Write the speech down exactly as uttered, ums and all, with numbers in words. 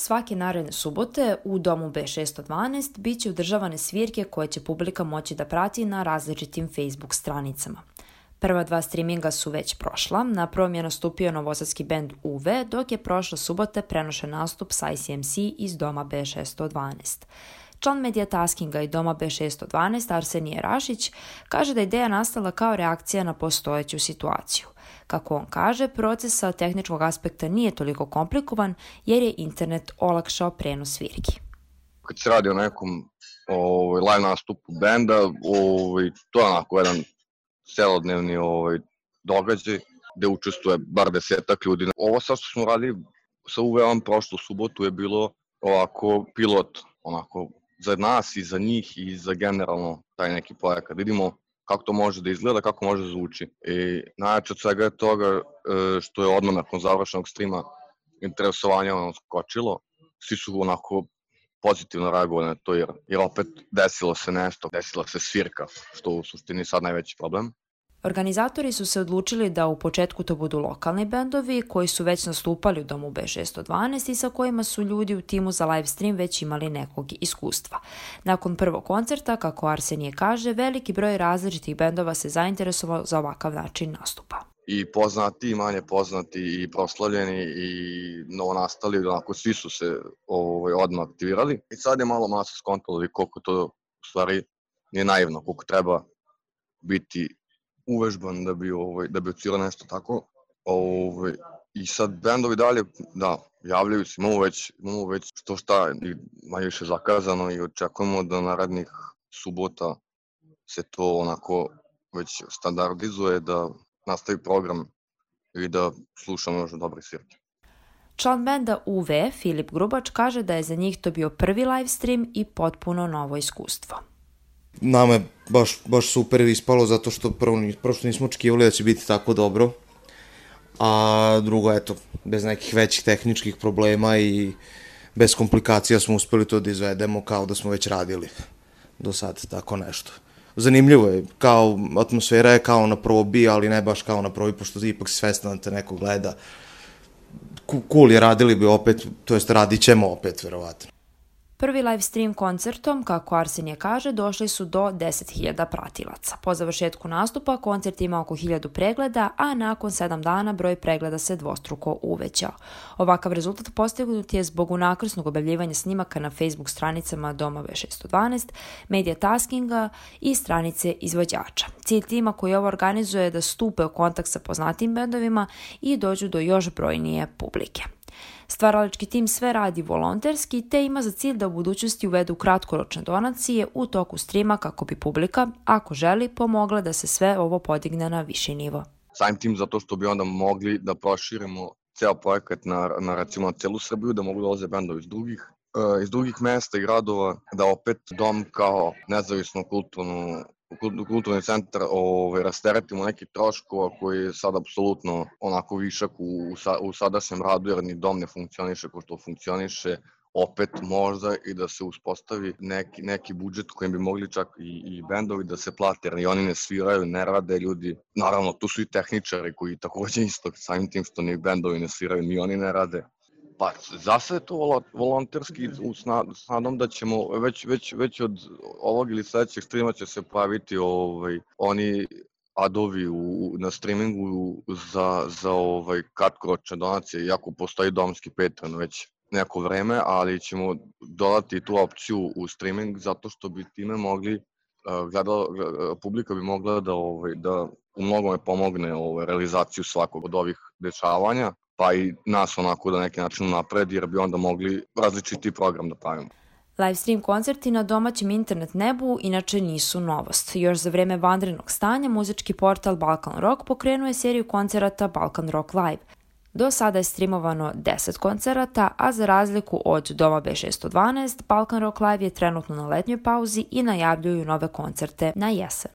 Svake naredne subote u domu be šesto dvanaest bit će održavane svirke koje će publika moći da prati na različitim Facebook stranicama. Prva dva streaminga su već prošla, na prvom je nastupio novosadski bend U V, dok je prošle subote prenošen nastup sa I C M C iz doma be šesto dvanaest. Član medija taskinga i doma be šesto dvanaest Arsenije Rašić kaže da je ideja nastala kao reakcija na postojeću situaciju. Kako on kaže, proces sa tehničkog aspekta nije toliko komplikovan jer je internet olakšao prenos svirki. Kad se radi o nekom ovaj, live nastupu benda, ovaj, to je onako jedan celodnevni ovaj, događaj gde učestvuje bar desetak ljudi. Ovo sad što smo radili sa U V-om prošlu subotu je bilo ovako pilot, onako za nas i za njih i za generalno taj neki projekat. Vidimo kako to može da izgleda, kako može da zvuči. I najjače od svega je toga što je odmah nakon završenog streama interesovanje ono skočilo. Svi su onako pozitivno reagovali na to jer, jer opet desilo se nešto, desila se svirka, što u suštini sad najveći problem. Organizatori su se odlučili da u početku to budu lokalni bendovi koji su već nastupali u domu be šesto dvanaest i sa kojima su ljudi u timu za live stream već imali nekog iskustva. Nakon prvog koncerta, kako Arsenije kaže, veliki broj različitih bendova se zainteresovao za ovakav način nastupa. I poznati, i manje poznati, i proslavljeni, i novonastali, onako svi su se ovaj, odmah aktivirali. I sad je malo masa skontalo koliko to u stvari nije naivno, koliko treba biti uvežban da bi ovaj da bi ucilo nešto tako. Ovaj i sad bendovi dalje da javljaju se, imamo već imamo već što šta manje više zakazano i očekujemo da narednih subota se to onako već standardizuje, da nastavi program i da slušamo još dobre svirke. Član benda U V, Filip Grubač, kaže da je za njih to bio prvi live stream i potpuno novo iskustvo. Nama je baš, baš super ispalo zato što prvo, prvo što nismo očekivali da će biti tako dobro, a drugo, eto, bez nekih većih tehničkih problema i bez komplikacija smo uspeli to da izvedemo kao da smo već radili do sad, tako nešto. Zanimljivo je, kao atmosfera je kao na probi, ali ne baš kao na probi, pošto ipak si svestan da te neko gleda. Cool je, radili bi opet, to jest radit ćemo opet, verovatno. Prvi live stream koncertom, kako Arsenije kaže, došli su do deset hiljada pratilaca. Po završetku nastupa koncert ima oko hiljadu pregleda, a nakon sedam dana broj pregleda se dvostruko uvećao. Ovakav rezultat postignut je zbog unakrsnog objavljivanja snimaka na Facebook stranicama doma be šesto dvanaest, medija taskinga i stranice izvođača. Cilj tima koji ovo organizuje je da stupe u kontakt sa poznatim bendovima i dođu do još brojnije publike. Stvaralački tim sve radi volonterski te ima za cilj da u budućnosti uvedu kratkoročne donacije u toku streama kako bi publika, ako želi, pomogla da se sve ovo podigne na viši nivo. Samim tim zato što bi onda mogli da proširimo ceo projekat na, na recimo celu Srbiju, da mogu da dolaze bendovi iz drugih, uh, iz drugih mesta i gradova, da opet dom kao nezavisno kulturno kulturni centar ovaj, rasteretimo neki troškova koji je sad apsolutno onako višak u, u sadašnjem radu jer ni dom ne funkcioniše kao što funkcioniše, opet možda i da se uspostavi neki, neki budžet kojim bi mogli čak i, i bendovi da se plate, jer i oni ne sviraju, ne rade ljudi. Naravno, tu su i tehničari koji takođe isto, samim tim što ni bendovi ne sviraju, ni oni ne rade. Pa za sve to volonterski s nadom da ćemo već, već, već od ovog ili sledećeg streama će se pojaviti ovaj, oni adovi u, na streamingu za, za ovaj, kratkoročne donacije, iako postoji domski Patreon već neko vreme, ali ćemo dodati tu opciju u streaming zato što bi time mogli, gledala, publika bi mogla da, ovaj, da u mnogome pomogne ovaj, realizaciju svakog od ovih dešavanja, pa i nas onako da neki način napredi jer bi onda mogli različiti program da pravimo. Live stream koncerti na domaćem internet nebu inače nisu novost. Još za vreme vanrednog stanja muzički portal Balkan Rock pokrenuo je seriju koncerata Balkan Rock Live. Do sada je streamovano deset koncerata, a za razliku od doma be šesto dvanaest, Balkan Rock Live je trenutno na letnjoj pauzi i najavljuju nove koncerte na jesen.